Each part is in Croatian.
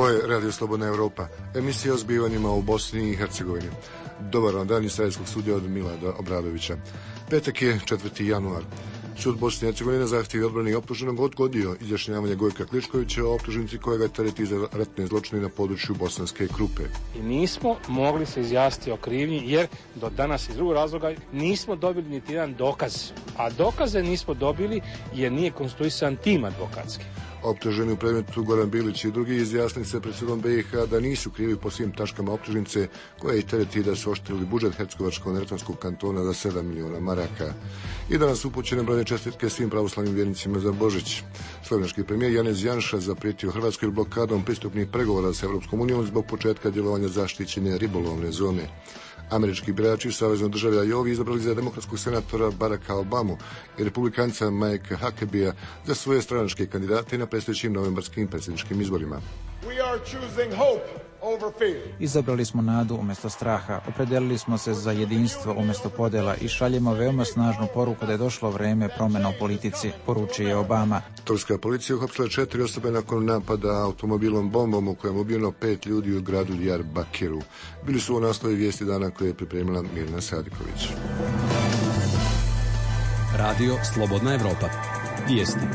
Ovo je Radio Slobodna Evropa, emisija o zbivanjima u Bosni i Hercegovini. Dobar vam dan iz Sarajevskog studija od Milada Obradovića. Petak je 4. januar. Sud Bosne i Hercegovine na zahtjev odbrane i optuženog odgodio izjašnjavanje Gojka Kličkovića o optužnici kojega tereti za ratne zločine na području Bosanske Krupe. I nismo mogli se izjasniti o krivnji jer do danas iz drugog razloga nismo dobili niti jedan dokaz. A dokaze nismo dobili jer nije konstituisan tim advokatski. Optuženi u predmetu Goran Bilić i drugi izjasnili se pred sudom BiH da nisu krivi po svim tačkama optužnice koje ih tereti da su oštetili budžet Hercegovačko-neretvanskog kantona za 7 miliona maraka. I danas upućene brojne čestitke svim pravoslavnim vjernicima za Božić. Slovenački premijer Janez Janša zaprijetio Hrvatskoj blokadom pristupnih pregovora s Evropskom unijom zbog početka djelovanja zaštićene ribolovne zone. Američki birači u Saveznoj državi Ajovi izabrali za demokratskog senatora Baracka Obamu i republikanca Mike Huckabee za svoje stranačke kandidate na predstojećim novembarskim predsjedničkim izborima. Izabrali smo nadu umjesto straha, opredelili smo se za jedinstvo umjesto podjela i šaljemo veoma snažnu poruku da je došlo vrijeme promjena u politici, poručio je Obama. Turska policija uhapsila 4 osobe nakon napada automobilom bombom u kojem je ubijeno 5 ljudi u gradu Diyarbakiru. Bili su u naslovi vijesti dana koje je pripremila Mirna Sadiković. Radio Slobodna Evropa. Vijesti.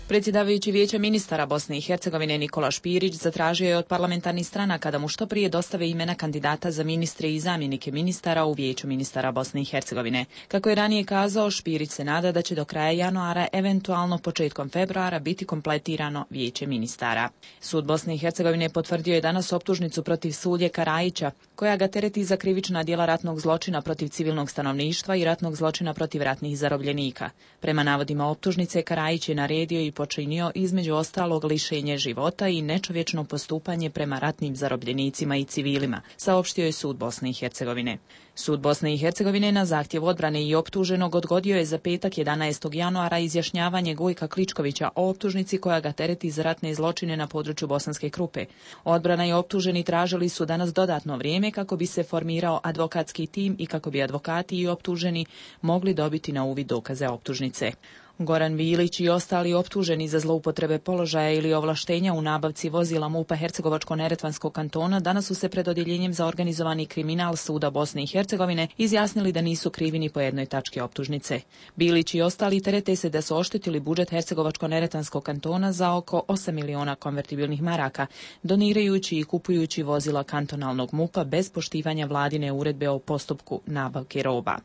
Predsjedavajući Vijeća ministara Bosne i Hercegovine Nikola Špirić zatražio je od parlamentarnih stranaka da mu što prije dostave imena kandidata za ministre i zamjenike ministara u Vijeću ministara Bosne i Hercegovine. Kako je ranije kazao, Špirić se nada da će do kraja januara, eventualno početkom februara, biti kompletirano Vijeće ministara. Sud Bosne i Hercegovine potvrdio je danas optužnicu protiv Sulje Karajića, koja ga tereti za krivična djela ratnog zločina protiv civilnog stanovništva i ratnog zločina protiv ratnih zarobljenika. Prema navodima optužnice, Karajić je naredio i počinio između ostalog lišenje života i nečovječno postupanje prema ratnim zarobljenicima i civilima, saopštio je Sud Bosne i Hercegovine. Sud Bosne i Hercegovine na zahtjev odbrane i optuženog odgodio je za petak 11. januara izjašnjavanje Gojka Kličkovića o optužnici koja ga tereti za ratne zločine na području Bosanske Krupe. Odbrana i optuženi tražili su danas dodatno vrijeme kako bi se formirao advokatski tim i kako bi advokati i optuženi mogli dobiti na uvid dokaze optužnice. Goran Bilić i ostali optuženi za zloupotrebe položaja ili ovlaštenja u nabavci vozila MUP-a Hercegovačko-neretvanskog kantona danas su se pred odjeljenjem za organizovani kriminal Suda Bosne i Hercegovine izjasnili da nisu krivi ni po jednoj tački optužnice. Bilić i ostali terete se da su oštetili budžet Hercegovačko-neretvanskog kantona za oko 8 miliona konvertibilnih maraka, donirajući i kupujući vozila kantonalnog MUP-a bez poštivanja vladine uredbe o postupku nabavke roba.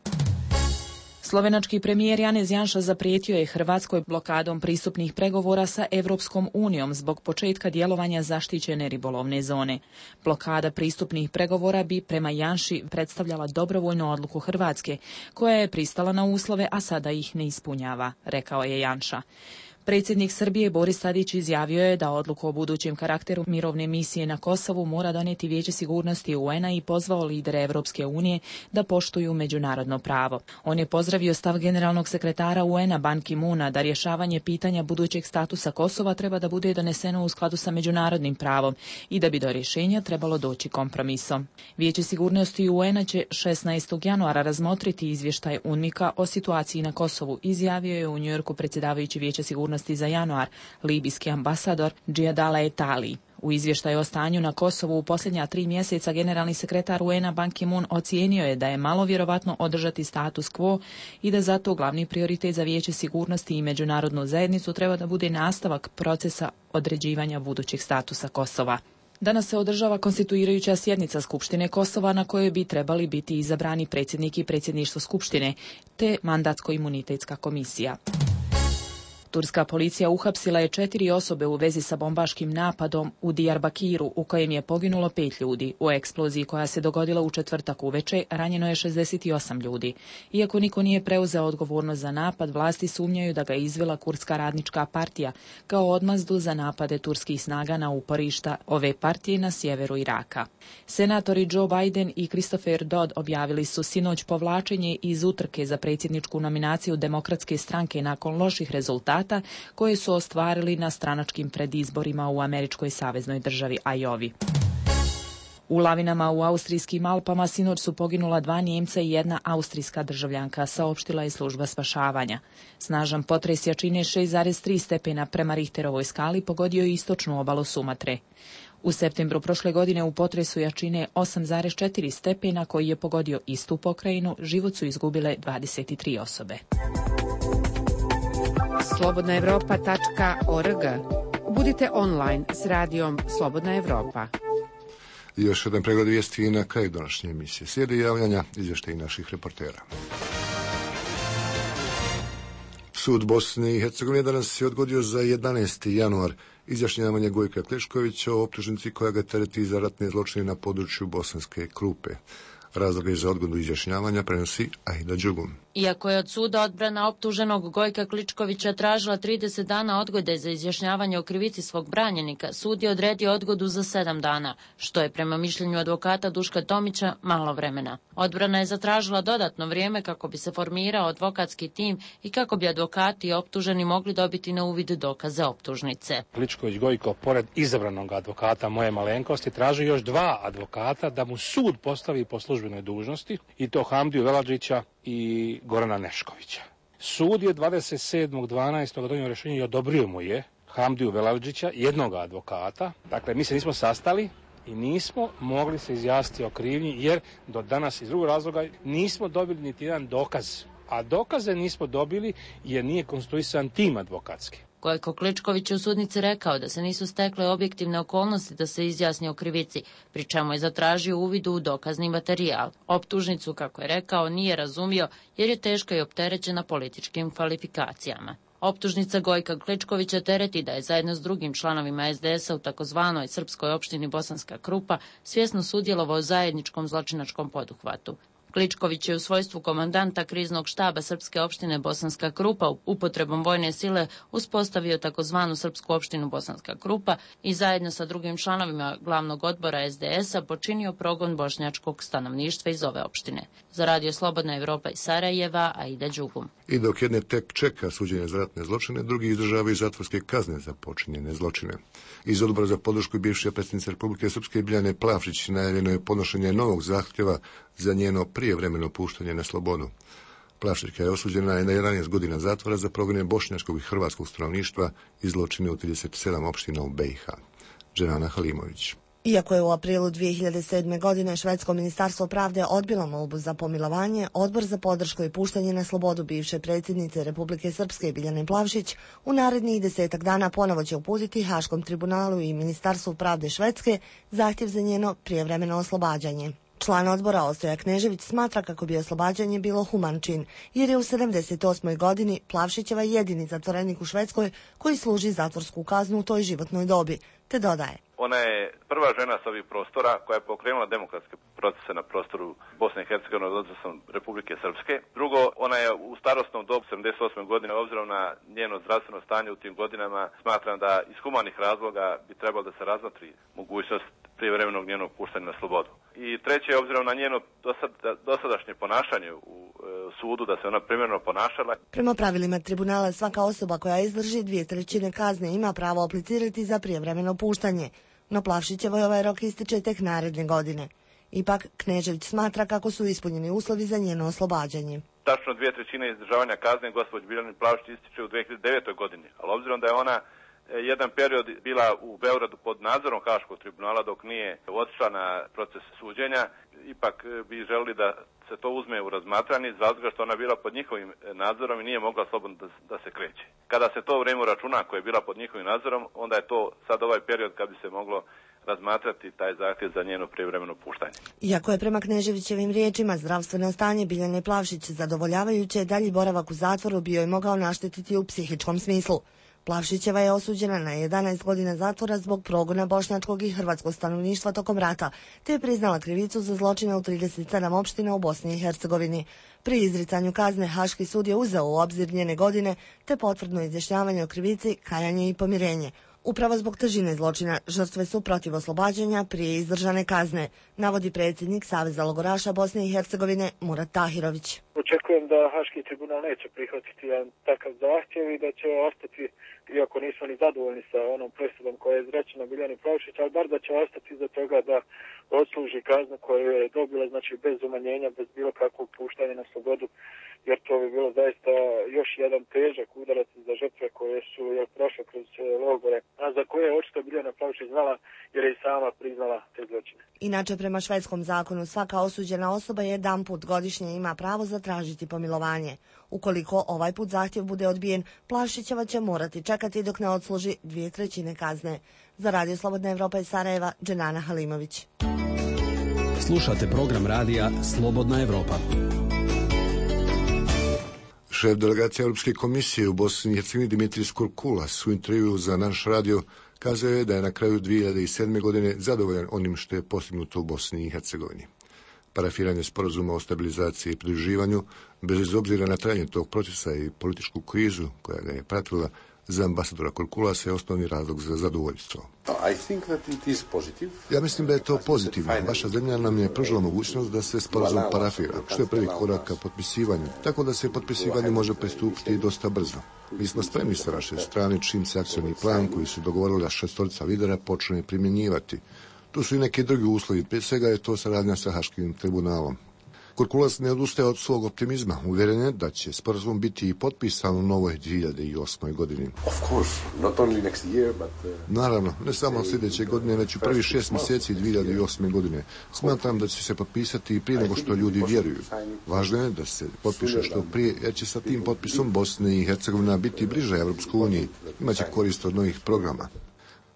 Slovenački premijer Janez Janša zaprijetio je Hrvatskoj blokadom pristupnih pregovora sa Evropskom unijom zbog početka djelovanja zaštićene ribolovne zone. Blokada pristupnih pregovora bi prema Janši predstavljala dobrovoljnu odluku Hrvatske, koja je pristala na uslove, a sada ih ne ispunjava, rekao je Janša. Predsjednik Srbije Boris Tadić izjavio je da odluku o budućem karakteru mirovne misije na Kosovu mora donijeti Vijeće sigurnosti UN-a i pozvao lidere Evropske unije da poštuju međunarodno pravo. On je pozdravio stav generalnog sekretara UN-a Ban Ki-moona da rješavanje pitanja budućeg statusa Kosova treba da bude doneseno u skladu sa međunarodnim pravom i da bi do rješenja trebalo doći kompromisom. Vijeće sigurnosti UN-a će 16. januara razmotriti izvještaj UNMIK-a o situaciji na Kosovu, izjavio je u Njujorku predsjedavajući Vijeća sigurnosti za januar libijski ambasador Džijadala Etali. U izvještaju o stanju na Kosovu u posljednja 3 mjeseca generalni sekretar UN-a Ban Ki-moon ocijenio je da je malo vjerovatno održati status quo i da zato glavni prioritet za Vijeće sigurnosti i međunarodnu zajednicu treba da bude nastavak procesa određivanja budućeg statusa Kosova. Danas se održava konstituirajuća sjednica Skupštine Kosova na kojoj bi trebali biti izabrani predsjednik i predsjedništvo Skupštine te mandatsko-imunitetska komisija. Turska policija uhapsila je 4 osobe u vezi sa bombaškim napadom u Diyarbakiru u kojem je poginulo 5 ljudi. U eksploziji koja se dogodila u četvrtak uveče ranjeno je 68 ljudi. Iako niko nije preuzeo odgovornost za napad, vlasti sumnjaju da ga je izvela Kurdska radnička partija kao odmazdu za napade turskih snaga na uporišta ove partije na sjeveru Iraka. Senatori Joe Biden i Christopher Dodd objavili su sinoć povlačenje iz utrke za predsjedničku nominaciju Demokratske stranke nakon loših rezultata koje su ostvarili na stranačkim predizborima u američkoj saveznoj državi Ajovi. U lavinama u austrijskim Alpama sinoć su poginula 2 Nijemca i 1 austrijska državljanka, saopštila je služba spašavanja. Snažan potres jačine 6,3 stepena prema Richterovoj skali pogodio je istočnu obalu Sumatre. U septembru prošle godine u potresu jačine 8,4 stepena koji je pogodio istu pokrajinu, život su izgubile 23 osobe. Slobodnaevropa.org. Budite online s radijom Slobodna Evropa. I još jedan pregled vijesti na kraju današnje emisije. Slijede javljanja, izvještaji naših reportera. Sud Bosne i Hercegovine danas je odgodio za 11. januar izjašnjavanje Gojka Klečkovića o optužnici koja ga tereti za ratne zločine na području Bosanske Krupe. Razloge za odgodu izjašnjavanja prenosi Aida Đugum. Iako je od suda odbrana optuženog Gojka Kličkovića tražila 30 dana odgode za izjašnjavanje o krivici svog branjenika, sud je odredio odgodu za 7 dana, što je prema mišljenju advokata Duška Tomića malo vremena. Odbrana je zatražila dodatno vrijeme kako bi se formirao advokatski tim i kako bi advokati i optuženi mogli dobiti na uvid dokaze optužnice. Kličković Gojko, pored izabranog advokata moje malenkosti, traži još 2 advokata da mu sud postavi po službenoj dužnosti, i to Hamdiju Veladžića i Gorana Neškovića. Sud je 27.12. donio rješenje i odobrio mu je Hamdiju Veladžića, jednog advokata. Dakle, mi se nismo sastali i nismo mogli se izjasniti o krivnji, jer do danas iz drugog razloga nismo dobili niti jedan dokaz. A dokaze nismo dobili jer nije konstruisan tim advokatski. Gojko Kličković je u sudnici rekao da se nisu stekle objektivne okolnosti da se izjasni o krivici, pri čemu je zatražio uvid u dokazni materijal. Optužnicu, kako je rekao, nije razumio jer je teška i opterećena političkim kvalifikacijama. Optužnica Gojka Kličkovića tereti da je zajedno s drugim članovima SDS-a u takozvanoj srpskoj opštini Bosanska Krupa svjesno sudjelovao u zajedničkom zločinačkom poduhvatu. Kličković je u svojstvu komandanta kriznog štaba srpske opštine Bosanska Krupa upotrebom vojne sile uspostavio takozvanu srpsku opštinu Bosanska Krupa i zajedno sa drugim članovima glavnog odbora SDS-a počinio progon bošnjačkog stanovništva iz ove opštine. Za Radio Slobodna Evropa iz Sarajeva, Aida Đugum. I dok jedne tek čeka suđenje za ratne zločine, drugi izdržavaju zatvorske kazne za počinjene zločine. Iz odbora za podršku bivše predsjednice Republike Srpske Biljane Plavšić najavljeno je podnošenje novog zahtjeva za njeno prijevremeno puštanje na slobodu. Plavšićka je osuđena na 11 godina zatvora za progone bošnjačkog i hrvatskog stanovništva i zločine u 37 opština u BiH. Dženana Halimović. Iako je u aprilu 2007. godine švedsko ministarstvo pravde odbilo molbu za pomilovanje, Odbor za podršku i puštanje na slobodu bivše predsjednice Republike Srpske Biljane Plavšić u narednih 10 dana ponovo će uputiti Haškom tribunalu i Ministarstvu pravde Švedske zahtjev za njeno prijevremeno oslobađanje. Član odbora Ostoja Knežević smatra kako bi oslobađanje bilo human čin, jer je u 78. godini Plavšićeva jedini zatvorenik u Švedskoj koji služi zatvorsku kaznu u toj životnoj dobi, te dodaje. Ona je prva žena s ovih prostora koja je pokrenula demokratske procese na prostoru Bosne i Hercegovine od Republike Srpske. Drugo, ona je u starosnom dobu 78. godine, obzirom na njeno zdravstveno stanje u tim godinama, smatram da iz humanih razloga bi trebalo da se razmotri mogućnost prijevremenog njenog puštanja na slobodu. I treće, obzirom na njeno dosadašnje ponašanje u sudu, da se ona primjerno ponašala. Prema pravilima tribunala svaka osoba koja izdrži 2/3 kazne ima pravo aplicirati za prijevremeno puštanje, no Plavšićevoj ovaj rok ističe tek naredne godine. Ipak, Knežević smatra kako su ispunjeni uslovi za njeno oslobađanje. Tačno 2/3 izdržavanja kazne gospođi Biljani Plavšić ističe u 2009. godini, ali obzirom da je ona jedan period bila u Beogradu pod nadzorom Haškog tribunala dok nije otišla na proces suđenja, ipak bi želili da se to uzme u razmatranje iz razloga što ona bila pod njihovim nadzorom i nije mogla slobodno da se kreće. Kada se to vrijeme računa koje je bila pod njihovim nadzorom, onda je to sad ovaj period kad bi se moglo razmatrati taj zahtjev za njeno prijevremeno puštanje. Iako je prema Kneževićevim riječima zdravstveno stanje Biljane Plavšić zadovoljavajuće, dalji boravak u zatvoru bio je mogao naštetiti u psihičkom smislu. Plavšićeva je osuđena na 11 godina zatvora zbog progona bošnjačkog i hrvatskog stanovništva tokom rata, te je priznala krivicu za zločine u 37 opština u Bosni i Hercegovini. Pri izricanju kazne Haški sud je uzeo u obzir njene godine, te potvrdno izjašnjavanje o krivici, kajanje i pomirenje. Upravo zbog težine zločina žrtve su protiv oslobađanja prije izdržane kazne, navodi predsjednik Saveza logoraša Bosne i Hercegovine Murat Tahirović. Očekujem da Haški tribunal neće prihvatiti jedan takav zahtjev i da će ostati iako nismo ni zadovoljni sa onom presudom koja je izrečena Biljani Plavšić, ali bar da će ostati iza toga da odsluži kaznu koju je dobila, znači bez umanjenja, bez bilo kakvog puštanja na slobodu, jer to bi bilo zaista još jedan težak udarac za žrtve koje su prošle kroz logore, a za koje je očito Biljana Plavšić znala jer je i sama priznala te zločine. Inače, prema švedskom zakonu, svaka osuđena osoba jedanput godišnje ima pravo zatražiti pomilovanje. Ukoliko ovaj put zahtjev bude odbijen, Plavšićeva će morati čekati dok ne odsluži 2/3 kazne. Za Radio Slobodna Evropa iz Sarajeva, Dženana Halimović. Slušate program radija Slobodna Evropa. Šef delegacije Europske komisije u Bosni i Hercegovini Dimitris Kurkulas u intervju za naš radio kazao je da je na kraju 2007. godine zadovoljan onim što je postignuto u Bosni i Hercegovini. Parafiranje sporazuma o stabilizaciji i pridruživanju, bez obzira na trajanje tog procesa i političku krizu koja ga je pratila, za ambasadora Kurkulasa je osnovni razlog za zadovoljstvo. Ja mislim da je to pozitivno. Vaša zemlja nam je pružila mogućnost da se sporazum parafira, što je prvi korak ka potpisivanju, tako da se potpisivanju može pristupiti dosta brzo. Mi smo spremni sa vaše strane čim se akcioni plan koji su dogovorila 6 lidera počne primjenjivati. Tu su i neki drugi uslovi, prije svega je to saradnja sa Haškim tribunalom. Kurkulas ne odustaje od svog optimizma, uvjeren je da će sporazum biti i potpisan u novoj 2008. godini. Naravno, ne samo sljedeće godine, već u prvi 6 mjeseci 2008. godine. Smatram da će se potpisati i prije nego što ljudi vjeruju. Važno je da se potpiše što prije, jer će sa tim potpisom Bosne i Hercegovina biti bliže Evropskoj uniji. Imaće korist od novih programa.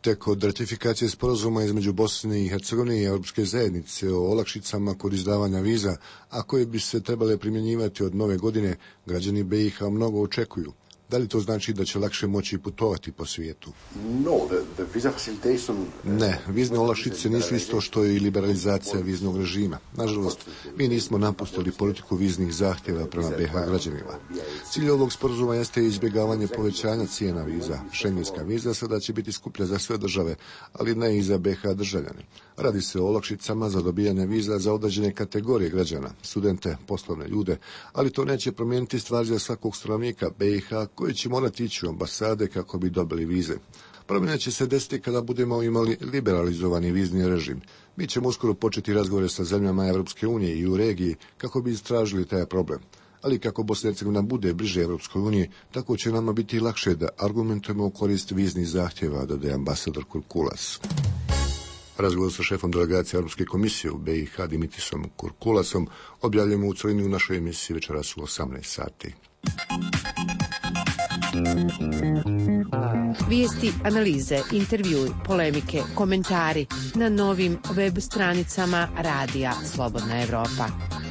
Tek od ratifikacije sporazuma između Bosne i Hercegovine i Europske zajednice o olakšicama kod izdavanja viza, a koje bi se trebale primjenjivati od nove godine, građani BiH mnogo očekuju. Da li to znači da će lakše moći putovati po svijetu? Ne, vizne olakšice nisu isto što i liberalizacija viznog režima. Nažalost, mi nismo napustili politiku viznih zahtjeva prema BiH građanima. Cilj ovog sporazuma jeste izbjegavanje povećanja cijena viza. Šengenska viza sada će biti skuplja za sve države, ali ne i za BiH državljane. Radi se o olakšicama za dobijanje viza za određene kategorije građana, studente, poslovne ljude, ali to neće promijeniti stvar za svakog stanovnika BiH koji će morati ići u ambasade kako bi dobili vize. Promjena će se desiti kada budemo imali liberalizovani vizni režim. Mi ćemo uskoro početi razgovore sa zemljama Evropske unije i u regiji kako bi istražili taj problem. Ali kako Bosna i Hercegovina bude bliže Evropskoj uniji, tako će nama biti lakše da argumentujemo u korist viznih zahtjeva, dodaje ambasador Kurkulas. Razgovor sa šefom delegacije Europske komisije u BiH Dimitrisom Kurkulasom objavljujemo u celini u našoj emisiji večeras u 18 sati. Vijesti, analize, intervjui, polemike, komentari na novim web stranicama Radija Slobodna Evropa.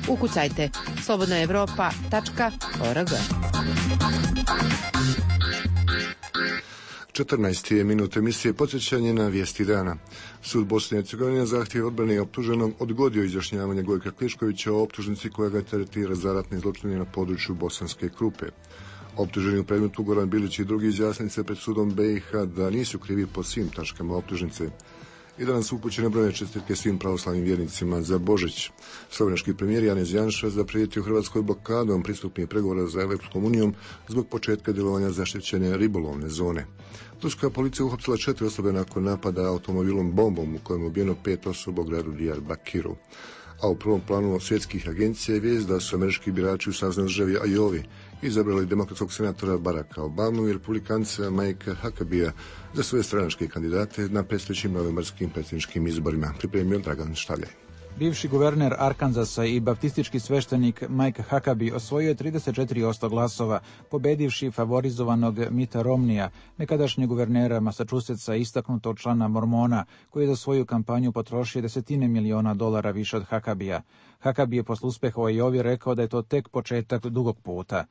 Ukucajte slobodnaevropa.org. 14. minut emisije podsjećanje na vijesti dana. Sud Bosne i Hercegovine zahtjev odbrane i optuženog odgodio izjašnjavanje Gojka Kliškovića o optužnici koja ga teretira za ratne zločine na području Bosanske Krupe. Optuženi u predmetu Goran Bilić i drugi izjasnili se pred sudom BiH da nisu krivi po svim tačkama optužnice. I danas su upućene brojne čestitke svim pravoslavnim vjernicima za Božić. Slovenački premijer Janez Janša zaprijetio Hrvatskoj blokadom pristupnih pregovora za Evropskom unijom zbog početka djelovanja zaštićene ribolovne zone. Turska policija uhapsila 4 osobe nakon napada automobilom bombom u kojem je ubijeno 5 osoba u gradu Diyarbakiru. A u prvom planu svjetskih agencija je vijest da su američki birači u saveznoj državi Ajovi izabrali demokratskog senatora Baracka Obamu i republikanca Mike'a Huckabea za svoje stranačke kandidate na predstojećim novembarskim predsjedničkim izborima, pripremio Dragan Štaljaj. Bivši guverner Arkansasa i baptistički sveštenik Mike Huckabee osvojio je 34% glasova, pobedivši favorizovanog Mitta Romneya, nekadašnjeg guvernera Massachusettsa i istaknutog člana Mormona, koji je za svoju kampanju potrošio $10 miliona više od Huckabea. Huckabee je posle uspeha u Ajovi rekao da je to tek početak dugog puta.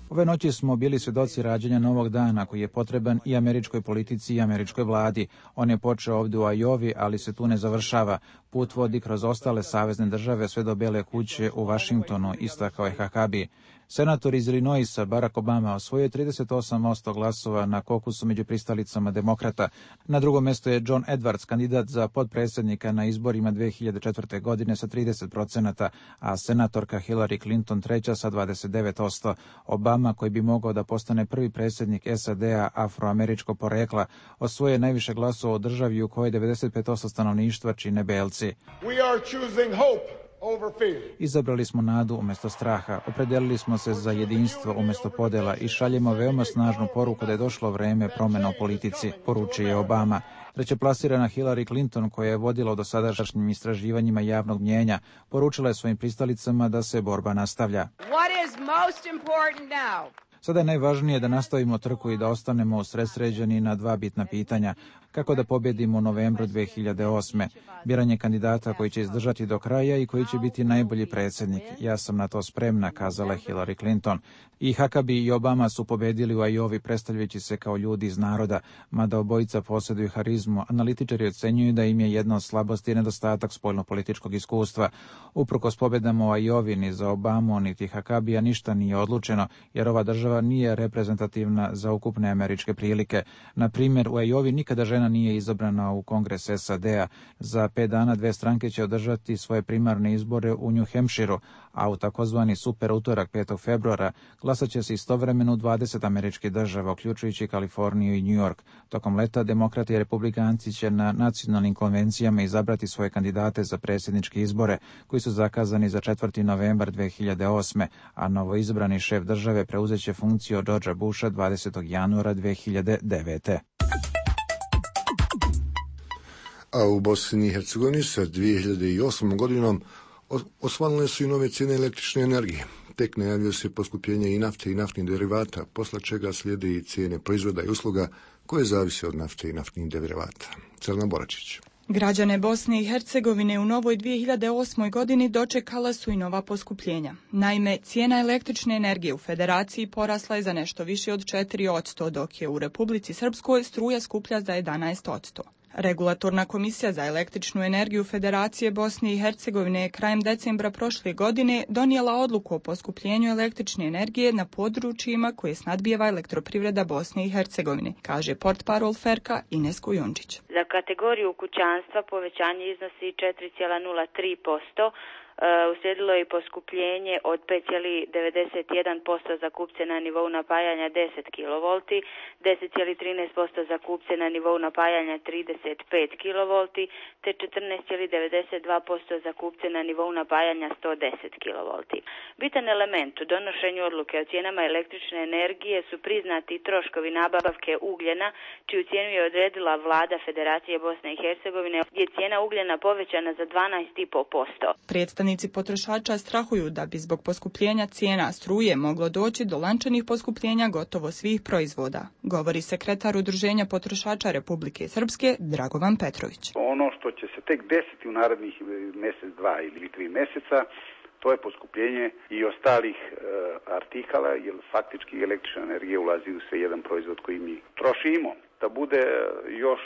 Ove noći smo bili svjedoci rađanja novog dana koji je potreban i američkoj politici i američkoj vladi. On je počeo ovdje u Ajovi, ali se tu ne završava. Put vodi kroz ostale savezne države sve do Bele kuće u Vašingtonu, istakao je Huckabee. Senator iz Illinoisa Barack Obama osvojio 38% glasova na kokusu među pristalicama demokrata. Na drugom mjestu je John Edwards, kandidat za potpredsjednika na izborima 2004. godine sa 30%, a senatorka Hillary Clinton treća sa 29%. Obama, koji bi mogao da postane prvi predsjednik SAD-a afroameričkog porekla, osvojio najviše glasova u državi u kojoj 95% stanovništva čine belci. Izabrali smo nadu umjesto straha, opredelili smo se za jedinstvo umjesto podjela i šaljemo veoma snažnu poruku da je došlo vreme promjena u politici, poručio je Obama. Trećeplasirana Hillary Clinton, koja je vodila u dosadašnjim istraživanjima javnog mnijenja, poručila je svojim pristalicama da se borba nastavlja. Sada je najvažnije da nastavimo trku i da ostanemo usredsređeni na dva bitna pitanja. Kako da pobjedimo u novembru 2008. Biranje kandidata koji će izdržati do kraja i koji će biti najbolji predsjednik. Ja sam na to spremna, kazala je Hillary Clinton. I Huckabee i Obama su pobjedili u Iowi predstavljajući se kao ljudi iz naroda, mada obojica posjeduju harizmu. Analitičari ocenjuju da im je jedna od slabosti nedostatak spoljnopolitičkog iskustva. Uprkos pobjedama u Iowi ni za Obamu niti Huckabea ništa nije odlučeno, jer ova država nije reprezentativna za ukupne američke prilike. Na primjer, u Iowi nikada žena nije izabrana u Kongres SAD-a. Za 5 dana dve stranke će održati svoje primarne izbore u New Hampshireu, a u takozvani super utorak 5. februara glasat će se istovremeno u 20 američkih država, uključujući Kaliforniju i New York. Tokom leta demokrati i republikanci će na nacionalnim konvencijama izabrati svoje kandidate za predsjedničke izbore, koji su zakazani za 4. novembar 2008. a novoizabrani šef države preuzet će funkciju od Georgea Busha 20. januara 2009. A u Bosni i Hercegovini sa 2008. godinom osvanule su i nove cijene električne energije. Tek najavljuje se poskupljenje i nafte i naftnih derivata, posle čega slijede i cijene proizvoda i usluga koje zavise od nafte i naftnih derivata. Crna Boračić. Građane Bosne i Hercegovine u novoj 2008. godini dočekala su i nova poskupljenja. Naime, cijena električne energije u Federaciji porasla je za nešto više od 4%, dok je u Republici Srpskoj struja skuplja za 11%. Regulatorna komisija za električnu energiju Federacije Bosne i Hercegovine je krajem decembra prošle godine donijela odluku o poskupljenju električne energije na područjima koje snadbijeva elektroprivreda Bosne i Hercegovine, kaže portparol Ferka Ines Kujundžić. Za kategoriju kućanstva povećanje iznosi 4,03%. Uslijedilo je i poskupljenje od 5,91% za kupce na nivou napajanja 10 kV, 10,13% za kupce na nivou napajanja 35 kV, te 14,92% za kupce na nivou napajanja 110 kV. Bitan element u donošenju odluke o cijenama električne energije su priznati troškovi nabavke ugljena, čiju cijenu je odredila vlada Federacije Bosne i Hercegovine, gdje je cijena ugljena povećana za 12,5%. Predstavnici potrošača strahuju da bi zbog poskupljenja cijena struje moglo doći do lančanih poskupljenja gotovo svih proizvoda, govori sekretar Udruženja potrošača Republike Srpske Dragovan Petrović. Ono što će se tek desiti u narednih mjesec, 2 ili 3 mjeseca, to je poskupljenje i ostalih artikala, jer faktički električna energija ulazi u sve jedan proizvod koji mi trošimo. Da bude još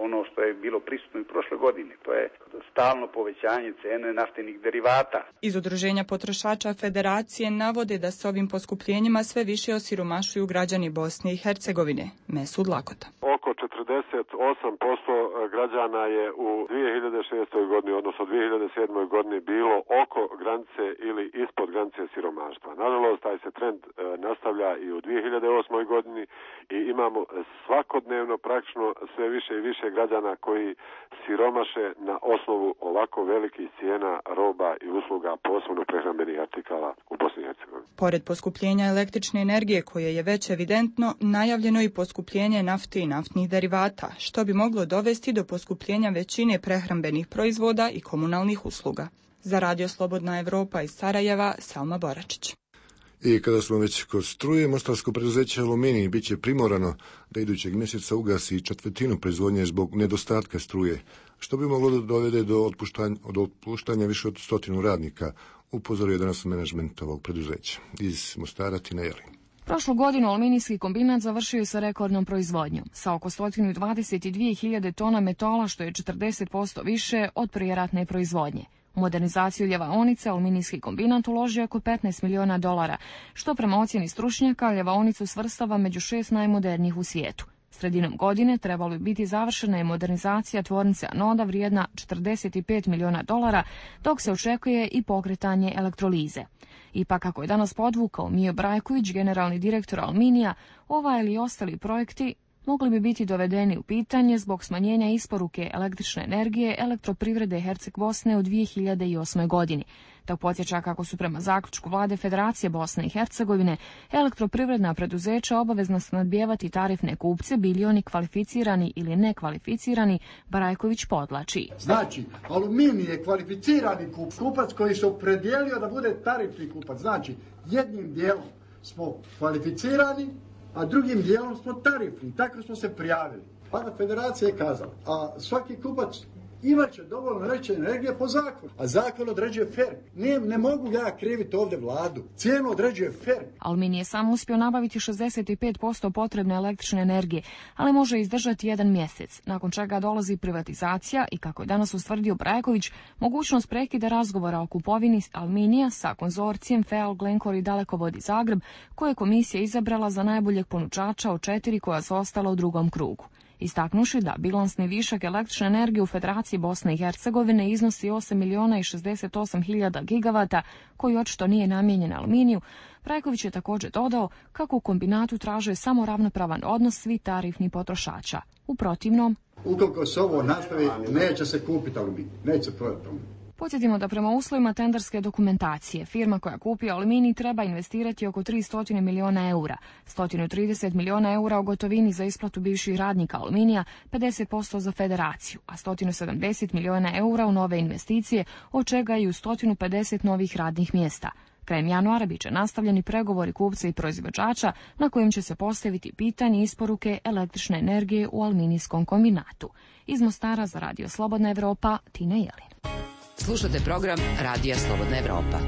ono što je bilo prisutno i prošle godine, to je stalno povećanje cene naftenih derivata. Iz Udruženja potrošača Federacije navode da s ovim poskupljenjima sve više osiromašuju građani Bosne i Hercegovine. Mesud Lakota. Oko 48% građana je u 2006. godini, odnosno 2007. godini bilo oko granice ili ispod granice siromaštva. Nažalost, taj se trend nastavlja i u 2008. godini i imamo svakodnevno praktično sve više i više građana koji siromaše na osnovu ovako velikih cijena roba i usluga, posebno prehrambenih artikala u Bosni i Hercegovini. Pored poskupljenja električne energije, koje je već evidentno, najavljeno i poskupljenje nafte i naftnih derivata, što bi moglo dovesti do poskupljenja većine prehrambenih proizvoda i komunalnih usluga. Za Radio Slobodna Evropa iz Sarajeva, Salma Boračić. I kada smo već kod struje, mostarsko preduzeće Aluminij bit će primorano da idućeg mjeseca ugasi četvrtinu proizvodnje zbog nedostatka struje, što bi moglo da dovede do otpuštanja više od 100 radnika, upozorio je danas menadžment ovog preduzeća. Iz Mostara Tina Jelin. Prošlu godinu aluminijski kombinat završio je sa rekordnom proizvodnjom, sa oko 122.000 tona metala, što je 40% više od prijeratne proizvodnje. U modernizaciju ljevaonice aluminijski kombinat uložio oko $15 miliona, što prema ocjeni stručnjaka ljevaonicu svrstava među 6 najmodernijih u svijetu. Sredinom godine trebalo bi biti završena i modernizacija tvornice anoda vrijedna $45 miliona, dok se očekuje i pokretanje elektrolize. Ipak, kako je danas podvukao Mijo Brajković, generalni direktor Aluminija, ova ili ostali projekti mogli bi biti dovedeni u pitanje zbog smanjenja isporuke električne energije Elektroprivrede Herceg Bosne u 2008. godini. Dok podsjeća kako su prema zaključku vlade Federacije Bosne i Hercegovine elektroprivredna preduzeća obavezna snadbijevati tarifne kupce, bili oni kvalificirani ili nekvalificirani, Brajković podlači. Znači, Aluminij je kvalificirani kupac koji se opredijelio da bude tarifni kupac. Znači, jednim dijelom smo kvalificirani, a drugim dijelom smo tarifni. Tako smo se prijavili. Pa Federacija je kazala, a svaki kupac imaće dovoljno električne energije po zakonu. A zakon određuje FER. Ne mogu ja kriviti ovdje vladu. Cijenu određuje FER. Aluminij je sam uspio nabaviti 65% potrebne električne energije, ali može izdržati 1 mjesec, nakon čega dolazi privatizacija i, kako je danas ustvrdio Brajković, mogućnost prekida razgovora o kupovini Aluminija sa konzorcijem FEAL, Glencore i Dalekovodi Zagreb, koje je komisija izabrala za najboljeg ponuđača od 4 koja su ostala u drugom krugu. Istaknuši da bilansni višak električne energije u Federaciji Bosne i Hercegovine iznosi 8.068.000 gigavata, koji očito nije namijenjen aluminiju, Brajković je također dodao kako u kombinatu traže samo ravnopravan odnos svih tarifnih potrošača. U protivnom, ukoliko se ovo nastavi, neće se kupiti aluminij, neće se prodati aluminij. Podsjetimo da prema uslovima tenderske dokumentacije firma koja kupi aluminij treba investirati oko 300 miliona eura, 130 miliona eura u gotovini za isplatu bivših radnika Aluminija, 50% za federaciju, a 170 miliona eura u nove investicije, od čega i u 150 novih radnih mjesta. Krajem januara biće nastavljeni pregovori kupca i proizvođača na kojim će se postaviti pitanje isporuke električne energije u aluminijskom kombinatu. Iz Mostara za Radio Slobodna Evropa, Tina Jelin. Slušate program Radija Slobodna Evropa.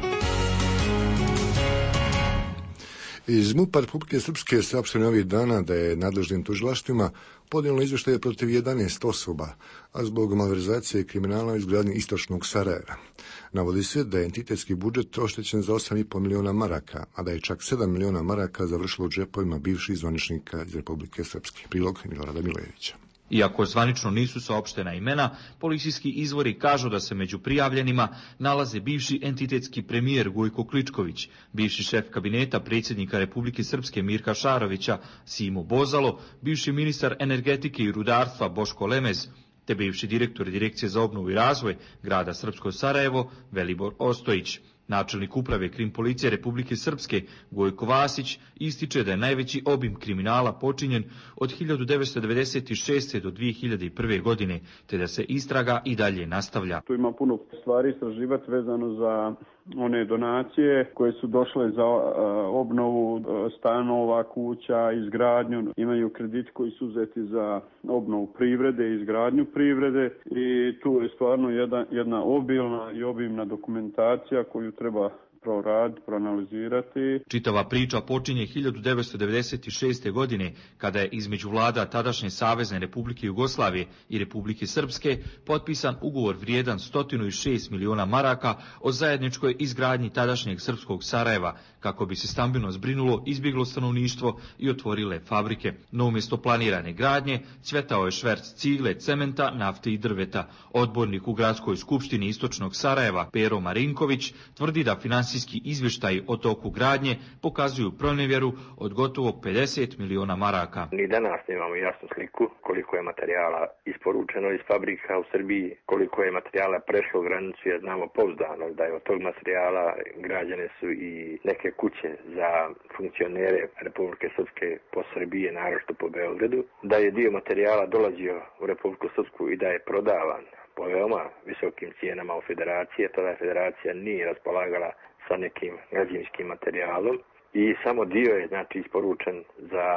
Iz MUP-a Republike Srpske saopšteno ovih dana da je nadležnim tužilaštvima podnijelo izvještaje protiv 11 osoba, a zbog malverzacije i kriminala u izgradnji istočnog Sarajeva. Navodi se da je entitetski budžet oštećen za 8,5 miliona maraka, a da je čak 7 miliona maraka završilo u džepovima bivših zvaničnika iz Republike Srpske. Prilog Milorada Milojevića. Iako zvanično nisu saopštena imena, policijski izvori kažu da se među prijavljenima nalaze bivši entitetski premijer Gojko Kličković, bivši šef kabineta predsjednika Republike Srpske Mirka Šarovića Simo Bozalo, bivši ministar energetike i rudarstva Boško Lemez, te bivši direktor Direkcije za obnovu i razvoj grada Srpsko Sarajevo Velibor Ostojić. Načelnik uprave Krim policije Republike Srpske Gojko Vasić ističe da je najveći obim kriminala počinjen od 1996. do 2001. godine, te da se istraga i dalje nastavlja. Tu ima puno stvari istraživati vezano za one donacije koje su došle za obnovu stanova, kuća, izgradnju. Imaju krediti koji su uzeti za obnovu privrede, izgradnju privrede i tu je stvarno jedna obilna i obimna dokumentacija koju treba proraditi, proanalizirati. Čitava priča počinje 1996. godine, kada je između vlada tadašnje Savezne Republike Jugoslavije i Republike Srpske potpisan ugovor vrijedan 106 miliona maraka o zajedničkoj izgradnji tadašnjeg srpskog Sarajeva, kako bi se stambeno zbrinulo izbjeglo stanovništvo i otvorile fabrike. No umjesto planirane gradnje cvjetao je šverc cigle, cementa, nafte i drveta. Odbornik u gradskoj skupštini istočnog Sarajeva Pero Marinković tvrdi da financijski izvještaji o toku gradnje pokazuju pronevjeru od gotovo 50 miliona maraka. Ni danas nemamo jasnu sliku koliko je materijala isporučeno iz fabrika u Srbiji, koliko je materijala prešlo granicu, jer znamo pouzdano da je od tog materijala građene su i neke kuće za funkcionere Republike Srpske po Srbije, naročito po Beogradu, da je dio materijala dolazio u Republiku Srpsku i da je prodavan po veoma visokim cijenama u federaciji. Tada federacija nije raspolagala sa nekim građevinskim materijalom i samo dio je isporučen za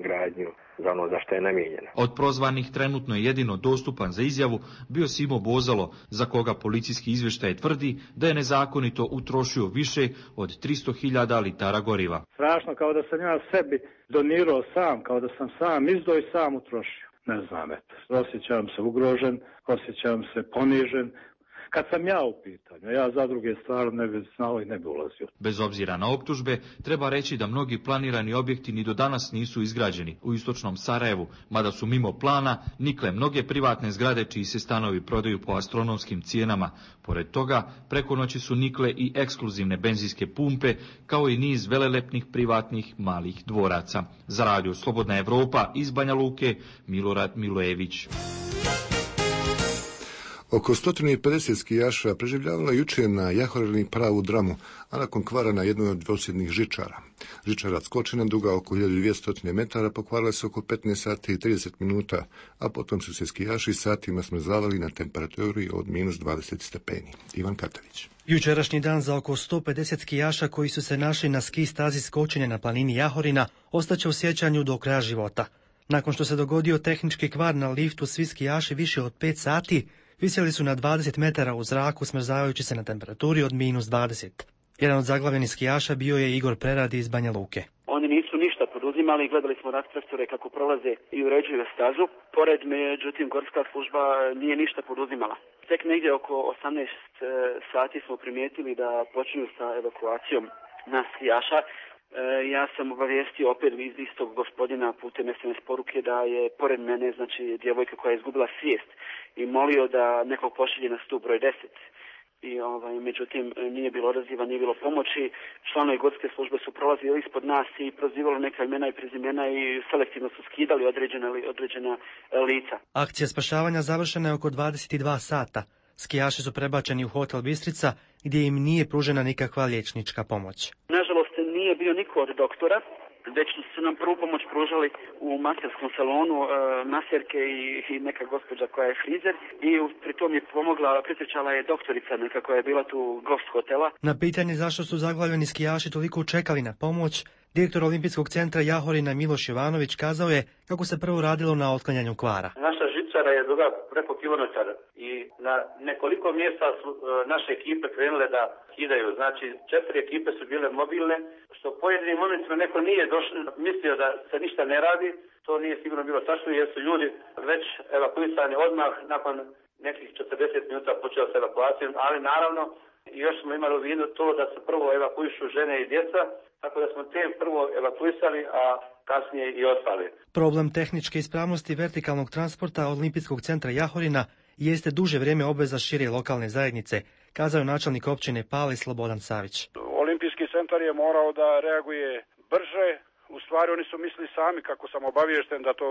gradnju, za ono za što je namijenjeno. Od prozvanih trenutno je jedino dostupan za izjavu bio Simo Bozalo, za koga policijski izvještaj tvrdi da je nezakonito utrošio više od 300.000 litara goriva. Strašno, kao da sam ja sebi donirao sam, kao da sam sam izdao i sam utrošio. Ne znam, osjećam se ugrožen, osjećam se ponižen. kad sam ja u pitanju. Ja za druge stvari ne bi znao i ne bi ulazio. Bez obzira na optužbe, treba reći da mnogi planirani objekti ni do danas nisu izgrađeni u istočnom Sarajevu, mada su mimo plana nikle mnoge privatne zgrade čiji se stanovi prodaju po astronomskim cijenama. Pored toga, preko noći su nikle i ekskluzivne benzinske pumpe, kao i niz velelepnih privatnih malih dvoraca. Za radio Slobodna Evropa iz Banja Luke, Milorad Milojević. Oko 150 skijaša preživljavalo jučer na Jahorini pravu dramu, a nakon kvara na jednoj od dvosjednih žičara. Žičara Skočina, duga oko 1200 metara, pokvarila se oko 15 sati i 30 minuta, a potom su se skijaši satima smrzavali na temperaturi od minus 20 stepeni. Ivan Katavić. Jučerašnji dan za oko 150 skijaša koji su se našli na ski stazi Skočine na planini Jahorina ostaće u sjećanju do kraja života. Nakon što se dogodio tehnički kvar na liftu, svi skijaši više od 5 sati visjeli su na 20 metara u zraku, smrzavajući se na temperaturi od minus 20. Jedan od zaglavljenih skijaša bio je Igor Preradi iz Banja Luke. Oni nisu ništa poduzimali, gledali smo rattraktore kako prolaze i uređuju stazu. Pored, međutim, gorska služba nije ništa poduzimala. Tek negdje oko 18 sati smo primijetili da počinju sa evakuacijom nas skijaša. Ja sam obavijestio opet iz istog gospodina putem SMS poruke da je pored mene, znači, djevojka koja je izgubila svijest i molio da nekog pošalje na stup broj 10. I međutim nije bilo odaziva, nije bilo pomoći. Članovi gorske službe su prolazili ispod nas i prozivali neka imena i prezimena i selektivno su skidali određena lica. Akcija spašavanja završena je oko 22 sata. Skijaši su prebačeni u hotel Bistrica gdje im nije pružena nikakva liječnička pomoć. Nažalost nije bio niko od doktora, već su nam prvu pomoć pružali u maserskom salonu maserke i neka gospođa koja je frizer i pritom je pomogla, prisjećala je doktorica neka koja je bila tu gost hotela. Na pitanje zašto su zaglavljeni skijaši toliko čekali na pomoć, direktor Olimpijskog centra Jahorina Miloš Jovanović kazao je kako se prvo radilo na otklanjanju kvara. Naša žičara je duga preko kilometara i na nekoliko mjesta su naše ekipe krenule da skidaju. Znači 4 ekipe su bile mobilne, što u pojedinim momentima neko nije mislio da se ništa ne radi. To nije sigurno bilo tačno jer su ljudi već evakuisani odmah nakon nekih 40 minuta počeo sa evakuacijom, ali naravno još smo imali u vidu to da se prvo evakuišu žene i djeca, tako da smo te prvo evakuisali, a kasnije i ostali. Problem tehničke ispravnosti vertikalnog transporta Olimpijskog centra Jahorina jeste duže vrijeme obveza šire lokalne zajednice, kazao je načelnik općine Pali Slobodan Savić. Olimpijski centar je morao da reaguje brže. U stvari oni su mislili sami, kako sam obaviješten, da to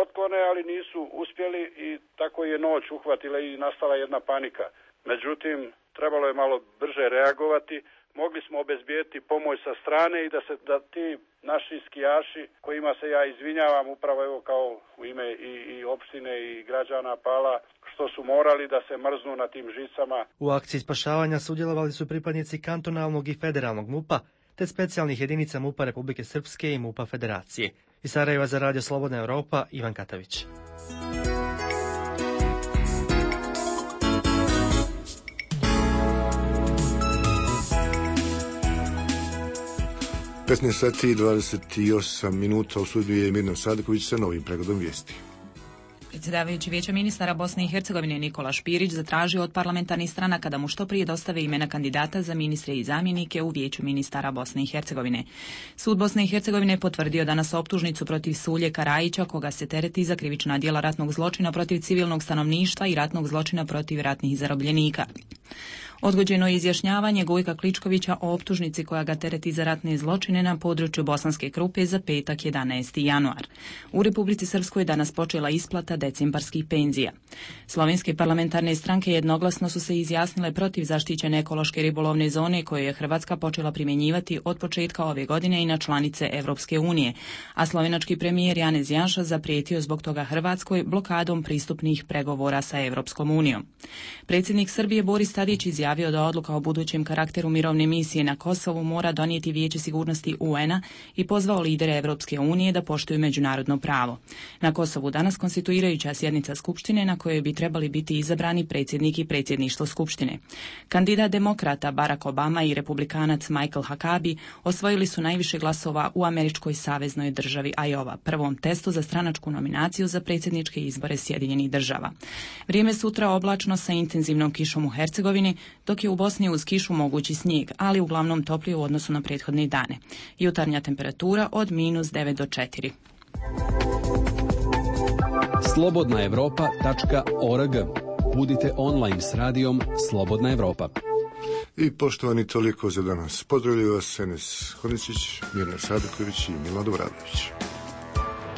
otklone, ali nisu uspjeli i tako je noć uhvatila i nastala jedna panika. Međutim, trebalo je malo brže reagovati. Mogli smo obezbijeti pomoć sa strane i da ti naši skijaši, kojima se ja izvinjavam upravo evo kao u ime i opštine i građana Pala, što su morali da se mrznu na tim žicama. U akciji spašavanja sudjelovali su pripadnici kantonalnog i federalnog MUP-a, te specijalnih jedinica MUP-a Republike Srpske i MUP-a Federacije. Iz Sarajeva za radio Slobodna Evropa, Ivan Katavić. sati i 28 minuta, u studiju je Mirna Sadiković sa novim pregledom vijesti. Predsjedavajući Vijeća ministara Bosne i Hercegovine Nikola Špirić zatražio od parlamentarnih stranaka da mu što prije dostave imena kandidata za ministre i zamjenike u Vijeću ministara Bosne i Hercegovine. Sud Bosne i Hercegovine potvrdio danas optužnicu protiv Sulje Karajića, koga se tereti za krivična djela ratnog zločina protiv civilnog stanovništva i ratnog zločina protiv ratnih zarobljenika. Odgođeno je izjašnjavanje Gojka Kličkovića o optužnici koja ga tereti za ratne zločine na području Bosanske Krupe za petak 11. januar. U Republici Srpskoj danas počela isplata decembarskih penzija. Slovenske parlamentarne stranke jednoglasno su se izjasnile protiv zaštićene ekološke ribolovne zone koje je Hrvatska počela primjenjivati od početka ove godine i na članice Evropske unije, a slovenački premijer Janez Janša zaprijetio zbog toga Hrvatskoj blokadom pristupnih pregovora sa Evropskom unijom. Predsjednik Srbije Boris Tadić izjavio izjavio da odluka o budućem karakteru mirovne misije na Kosovu mora donijeti Vijeće sigurnosti UN-a i pozvao lidere Evropske unije da poštuju međunarodno pravo. Na Kosovu danas konstituirajuća sjednica Skupštine na kojoj bi trebali biti izabrani predsjednik i predsjedništvo Skupštine. Kandidat demokrata Barack Obama i republikanac Michael Huckabee osvojili su najviše glasova u američkoj saveznoj državi Iowa, prvom testu za stranačku nominaciju za predsjedničke izbore Sjedinjenih država. Vrijeme sutra oblačno sa intenzivnom kišom u Hercegovini, dok je u Bosni uz kišu mogući snijeg, ali uglavnom toplije u odnosu na prethodne dane. Jutarnja temperatura od -9 do 4. Slobodnaevropa.org. Budite online s radijom Slobodna Evropa. I poštovani, toliko za danas. Pozdravljaju vas Enes Hodicić, Mirna Saduković i Milan Dobradović.